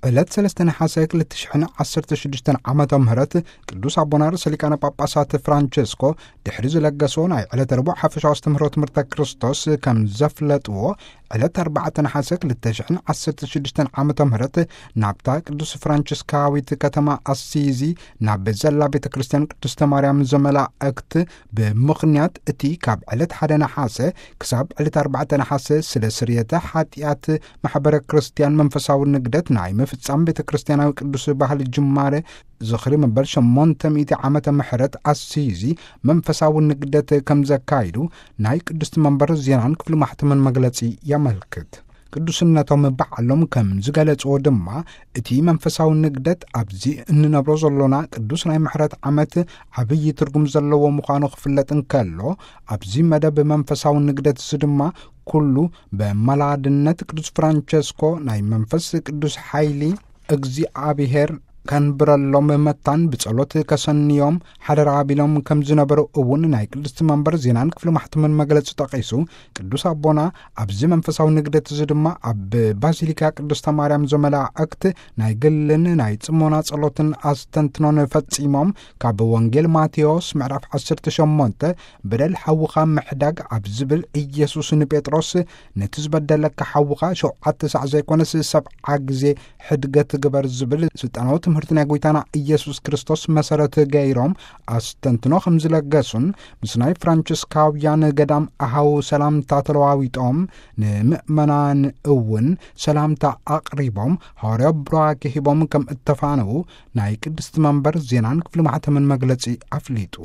ዕለት ሰለስተ ነሓሰ ክልተ ሽሕን ዓሰርተ ሽዱሽተን ዓመተ ምህረት ቅዱስ ኣቦና ርእሰ ሊቃነ ጳጳሳት ፍራንቸስኮ ድሕሪ ዝለገሶ ናይ ዕለት ረቡዕ ሓፈሻዊ ኣስተምህሮ ትምህርተ ክርስቶስ ከም ዘፍለጥዎ፣ ዕለት ኣርባዕተ ነሓሰ ክልተ ሽሕን ዓሰርተ ሽዱሽተን ዓመተ ምህረት ናብታ ቅዱስ ፍራንቸስካዊት ከተማ ኣሲዚ ናብ ዘላ ቤተ ክርስቲያን ቅድስተ ማርያም ዘመላእክት ብምኽንያት እቲ ካብ ዕለት ሓደ ነሓሰ ክሳብ ዕለት ኣርባዕተ ነሓሰ ስለ ስርየተ ሓጢኣት ማሕበረ ክርስቲያን መንፈሳዊ ንግደት ናይ ምፍጻም ቤተ ክርስቲያናዊ ቅዱስ ባህሊ ጅማረ ዝኽሪ መበል ሸሞንተ ሚእቲ ዓመተ ምሕረት ኣሲዚ መንፈሳዊ ንግደት ከም ዘካይዱ ናይ ቅድስቲ መንበር ዜናን ክፍሊ ማሕተምን መግለጺ የመልክት። ቅዱስነቶም ባዕሎም ከም ዝገለጽዎ ድማ፣ እቲ መንፈሳዊ ንግደት ኣብዚ እንነብሮ ዘሎና ቅዱስ ናይ ምሕረት ዓመት ዓብዪ ትርጉም ዘለዎ ምዃኑ ክፍለጥ እንከሎ፣ ኣብዚ መደብ መንፈሳዊ ንግደት እዚ ድማ ኩሉ በመላድነት ቅዱስ ፍራንቸስኮ ናይ መንፈስ ቅዱስ ሓይሊ እግዚኣብሔር ከንብረሎም መታን ብጸሎት ከሰንዮም ሓደራ ኣቢሎም ከም ዝነበሩ እውን ናይ ቅድስቲ መንበር ዜናን ክፍሊ ማሕተምን መግለጺ ጠቒሱ፣ ቅዱስ ኣቦና ኣብዚ መንፈሳዊ ንግደት እዚ ድማ ኣብ ባዚሊካ ቅድስተ ማርያም ዘመላእክት ናይ ግልን ናይ ጽሞና ጸሎትን ኣስተንትኖን ፈጺሞም፣ ካብ ወንጌል ማቴዎስ ምዕራፍ ዓሰርተ ሸሞንተ በደል ሓውኻ ምሕዳግ ኣብ ዝብል፣ ኢየሱስ ንጴጥሮስ ነቲ ዝበደለካ ሓውኻ ሸውዓተ ሳዕ ዘይኮነስ ሰብዓ ግዜ ሕድገት ግበር ዝብል ስልጣናዊ ትምህርቲ ናይ ጎይታና ኢየሱስ ክርስቶስ መሰረት ገይሮም ኣስተንትኖ ከም ዝለገሱን፣ ምስ ናይ ፍራንቸስካውያን ገዳም ኣሃው ሰላምታ ተለዋዊጦም፣ ንምእመናን እውን ሰላምታ ኣቕሪቦም፣ ሃዋርያዊ ቡራኬ ሂቦም ከም እተፋነዉ ናይ ቅድስቲ መንበር ዜናን ክፍሊ ማሕተምን መግለጺ ኣፍሊጡ።